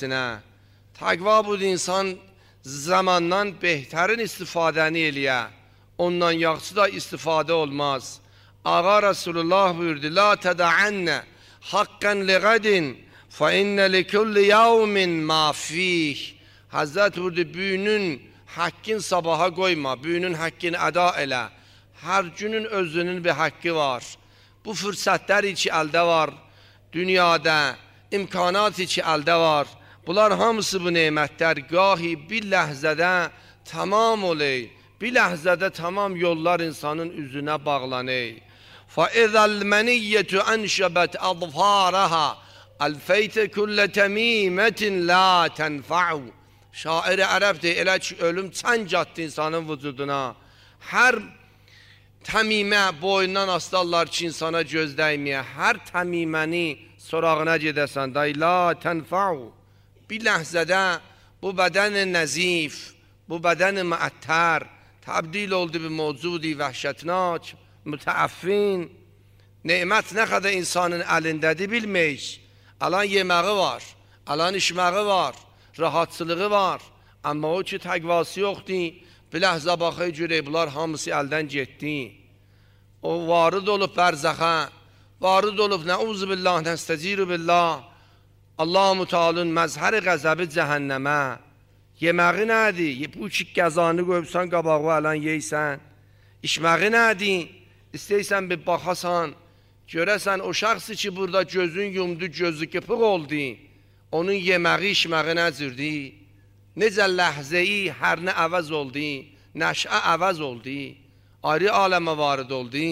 təqvasına. Təqva budur, insan zamandan behtarin istifadəni eləyə. Ondan yaxşı da istifadə olmaz. Ağa Resulullah buyurdu, la tədəənnə haqqən liğədin fə innə likulli yavmin ma fih. Həzrət buyurdu, büyünün haqqın sabaha qoyma, büyünün haqqını əda elə. Hər günün özünün bir haqqı var. Bu fürsətlər ki əldə var, dünyada imkanat ki əldə var. Bunlar hamısı bu nemətlər gahi bir ləhzədə tamam oley. Bir ləhzədə tamam yollar insanın üzünə bağlaney. فَإِذَا الْمَنِيَّةُ أَنْشَبَتْ أَظْفَارَهَا أَلْفَيْتَ كُلَّ تَمِيمَةٍ لَا تَنْفَعُ. Şair ərəbdir, elə ki ölüm çənc atdı insanın vücuduna. Hər təmimə boyundan astarlar ki insana göz dəyməyə. Hər təmiməni sorağına gedəsən, day la tənfa'u. Bir ləhzədə bu bədəni nəzif, bu bədəni məəttər təbdil oldu bir mövcudi vəhşətnak, mütəəffin. Nemət nə qədər insanın əlindədir bilmək. Alan yeməği var, alan içməği var, rahatçılığı var. Amma o ki təqvası yoxdur, bir ləhzə baxı görək, bunlar hamısı əldən getdi. O varid olub bərzəxə, varid olub nəuzubillah, nəstəciru billah. Allah-u Teala'nın məzhəri qəzəbi cəhənnəmə. Yeməği nədir? Bu ki qəzanı qoyubsan, qabağı ələn yeysən. İçməği nədir? İstəysən bir baxasan, görəsən o şəxsi ki burada gözün yumdu, gözü qıpıq oldu, onun yeməği, içməği nəzirdi? Necə ləhzəyi hər nə əvəz oldu, nəşə əvəz oldu, ayrı aləmə varid oldu.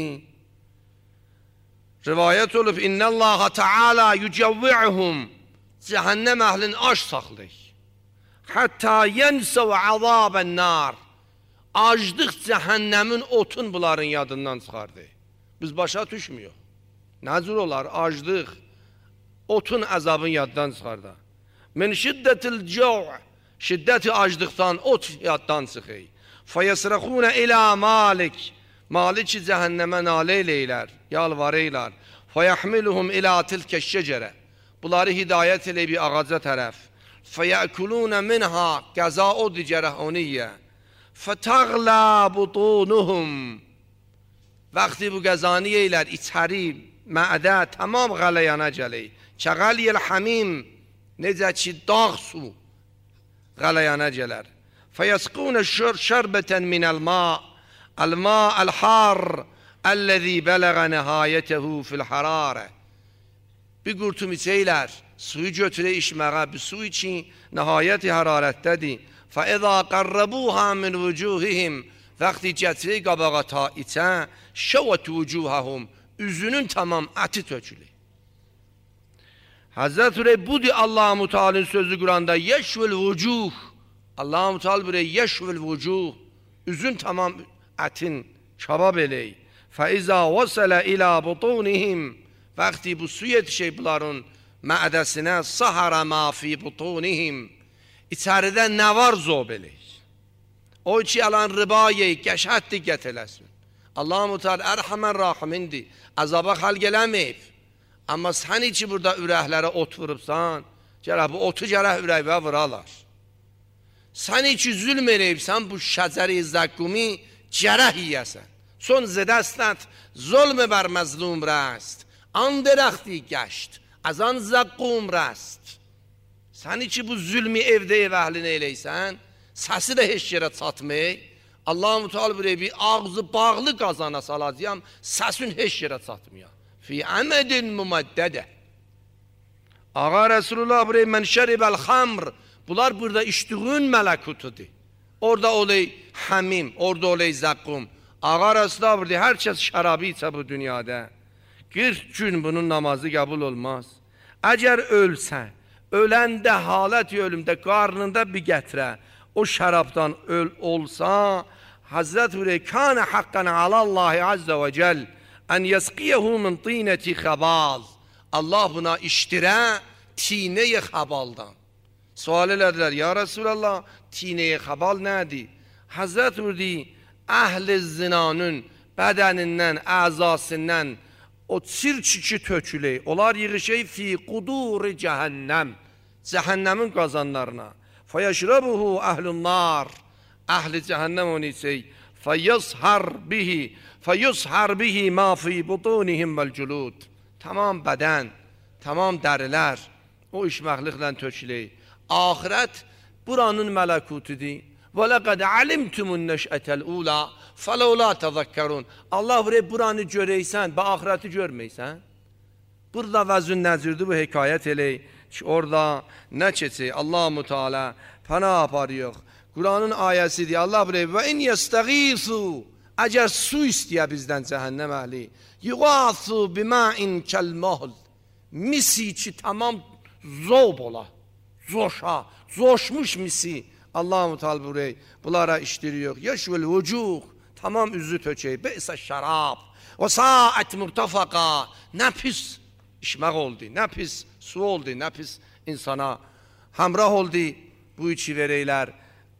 Rivayət olub, İnnəllaha Teala yücəvvi'uhum, cəhənnəm əhlin aş saxlayır. Hətta yənsəv əzabən nar. Acdıq cəhənnəmin otun bunların yadından çıxardı. Biz başa düşmüyor. Nəzir olar, acdıq, otun əzabın yaddan çıxardı. Min şiddətil cəv, şiddəti acdıqdan ot yaddan çıxır. Fəyəsrəxunə ilə malik, maliki cəhənnəmə nalə eləylər, yalvarıylar. Fəyəhmiluhum ilə tilkə şəcərə, bunları hidayət elə bir ağaca tərəf. Fəyəkulunə minha, qəza o digərə oniyyə. Fətəğlə butunuhum, vaxtı bu qəzanı yeylər, içəri, məədə tamam qələyana gəlir. Kəqəliyəl həmim, necə ki dağ su qələyana gələr. Fəyəsqunə şərbətən minəl ma, əl-ma əl-har, əlləzi bələğə nəhayətəhu fil-hararə. Bir qurtum içəylər, suyu götürə içməyə, bir su için nəhayəti hərarətdədir. فَإِذَا قَرَّبُوهَا مِنْ وُجُوهِهِمْ, vaxtı gətirir qabağa ta içə, şəvət vücuhəhum, üzünün tamam əti tökülür. Həzrət Ürey budur Allah-u Teala'nın sözü Kur'an'da, yeşvil vücuh, Allah-u Teala buraya yeşvil vücuh, üzün tamam ətin kabab eləyir. فَإِذَا وَسَلَ إِلَى بُطُونِهِمْ, vaxtı bu su yetişir bunların məədəsinə, سَحَرَ مَا فِي بُطُونِهِمْ, İçəridə nə var zob eləyir? O ki, alan riba yeyik, qəşət diqqət eləsin. Allah-u Teala ərhəmən rahimindir, əzaba xalq eləməyib. Amma sən ki, burada ürəklərə ot vurubsan, gərək bu otu gərək ürəkvə vuralar. Sən ki, zülm eləyibsən, bu şəcəri zəqqumi gərək yiyəsən. Son zədəstət, zulm bər məzlum rəst, an dərəxti gəşt, az an zəqqum rəst. Sən ki, bu zülmü evdə ev əhlinə eləysən, səsi də heç yerə çatmayı, Allah-u Teala buraya bir ağzı bağlı qazana salacağım, səsin heç yerə çatmıyor. Fi əmədin müməddədə. Ağa Resulullah buraya mən şəribəl xamr, bunlar burada içdiğin mələkutudur. Orada olay həmim, orada olay zəqqum. Ağa Resulullah buraya hər kəs şərabı içə bu dünyada. 40 gün bunun namazı qəbul olmaz. Əgər ölsən, öləndə halət ölümdə qarnında bir gətirə, o şərabdan olsa, Hazret Hürey kânə haqqan alallahi azze ve cel ən yəsqiyehu min tinəti xəbal. Allah buna iştirə tinəyi xəbaldan. Sual elədilər, ya Resulallah, tinəyi xəbal nədir? Hazret Hürey əhl-i zinanın bədənindən, əzasından o çirçiki töküley, onlar yığışey fi quduri cəhənnəm, Cehennemin qazanlarına. Feyeşrebuhu ehlun nar. Ahli cehennem onu içsək. Feyushar bihi ma fi butunihim vel culud. Tamam bədən, tamam dərilər o işməkliklə tökülür. Ahirət buranın məlekutudur. Və ləqəd alimtumun nəşətəl ula fələulə təzəkkərun. Allah buraya buranı görəysən, bə ahirəti görməysən. Burada vəzün nəzirdir bu hekayət elək ki, orada nə keçir? Allah-u Teala pənah aparıyor. Kur'an'ın ayəsidir. Allah buraya və in yestəğisu, əgər su istəyə bizdən cəhənnəm əhli, yuğasu bima'in kəlməhl, misi ki tamam zob ola, zoşmuş misi. Allah-u Teala buraya bunlara iştiriyor. Yeşvel vücuh, tamam üzü tökey, beysə şərab, və saət murtafaqa, nə pis işmək oldu, nə pis su oldu, nə pis insana həmrah oldu. Bu içi vereylər,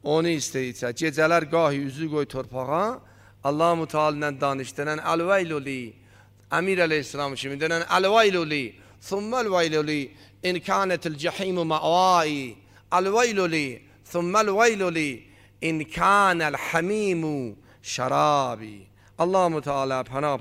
onu istəyirsə, gecələr qahi üzü qoy torpağa, Allah-u Teala ilə danışdırən əl-veyluli, Əmir əleyhisselam kimi denən əl-veyluli, thumməl-veyluli, in kânətil cehimu mə'vai, əl-veyluli, thumməl-veyluli, in kânəl hamimu şərabi. Allah-u Teala pənah